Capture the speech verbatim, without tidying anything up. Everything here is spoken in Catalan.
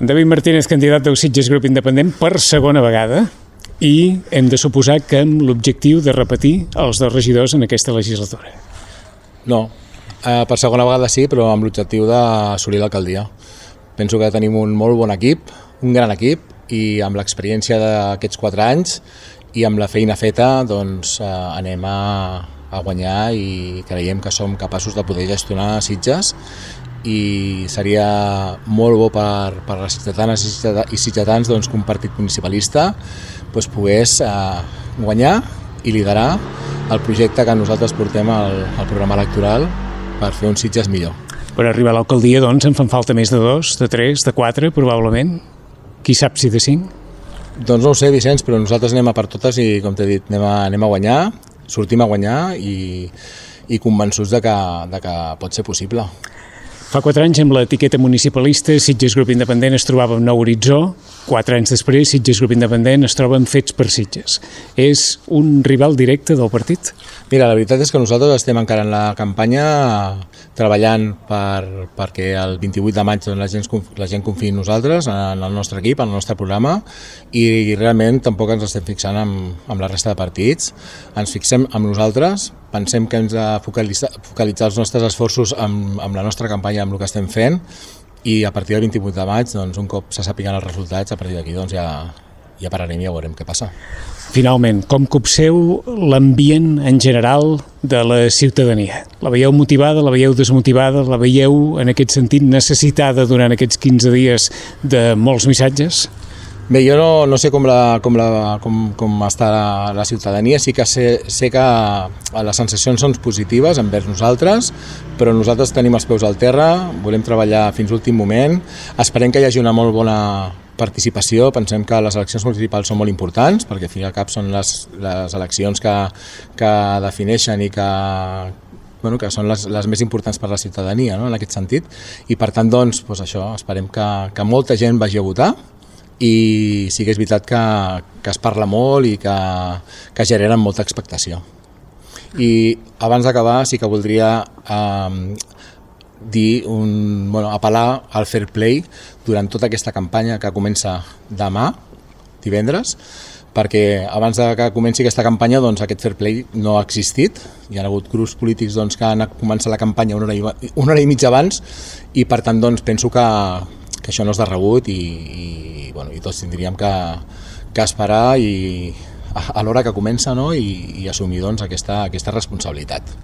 David Martínez, candidat del Sitges Grup Independent per segona vegada, i hem de suposar que amb l'objectiu de repetir els dos regidors en aquesta legislatura. No, eh, per segona vegada sí, però amb l'objectiu d'assolir l'alcaldia. Penso que tenim un molt bon equip, un gran equip, i amb l'experiència d'aquests quatre anys i amb la feina feta doncs, eh, anem a, a guanyar i creiem que som capaços de poder gestionar Sitges i seria molt bo per, per les ciutadanes i ciutadans doncs, que un partit municipalista doncs, pogués eh, guanyar i liderar el projecte que nosaltres portem al, al programa electoral per fer un Sitges millor. Per arribar a l'alcaldia doncs, en fan falta més de dos, de tres, de quatre, probablement. Qui sap si de cinc? Doncs no ho sé, Vicenç, però nosaltres anem a per totes i, com t'he dit, anem a, anem a guanyar, sortim a guanyar i, i convençuts de que, de que pot ser possible. Fa quatre anys, amb l'etiqueta municipalista, Sitges Grup Independent es trobava amb Nou Horitzó. Quatre anys després, Sitges Grup Independent es troba amb Fets per Sitges. És un rival directe del partit? Mira, la veritat és que nosaltres estem encara en la campanya treballant per, perquè el vint-i-vuit de maig la gent, la gent confiï en nosaltres, en el nostre equip, en el nostre programa, i realment tampoc ens estem fixant amb, amb la resta de partits. Ens fixem amb nosaltres, pensem que hem de focalitzar, focalitzar els nostres esforços amb, amb la nostra campanya, amb el que estem fent, i a partir del vint-i-vuit de maig, doncs, un cop se sàpiguen els resultats, a partir d'aquí doncs, ja, ja pararem i ja veurem què passa. Finalment, com copseu l'ambient en general de la ciutadania? La veieu motivada, la veieu desmotivada, la veieu en aquest sentit necessitada durant aquests quinze dies de molts missatges? Bé, jo no, no sé com, la, com, la, com, com està la, la ciutadania, sí que sé, sé que les sensacions són positives envers nosaltres, però nosaltres tenim els peus al terra, volem treballar fins l'últim moment, esperem que hi hagi una molt bona participació, pensem que les eleccions municipals són molt importants, perquè al fi i al cap són les, les eleccions que, que defineixen i que, bueno, que són les, les més importants per a la ciutadania, no? En aquest sentit, i per tant, doncs, doncs això, esperem que, que molta gent vagi a votar, i sí que és veritat que, que es parla molt i que, que generen molta expectació. I abans d'acabar sí que voldria eh, dir un, bueno, apel·lar al fair play durant tota aquesta campanya que comença demà, divendres, perquè abans de que comenci aquesta campanya doncs, aquest fair play no ha existit. Hi ha hagut grups polítics doncs, que han començat la campanya una hora i, una hora i mitja abans i per tant doncs, penso que, que això no és de rebut i, i, bueno, i tots tindríem que, que esperar i, a, a l'hora que comença, no? I, i assumir doncs, aquesta, aquesta responsabilitat.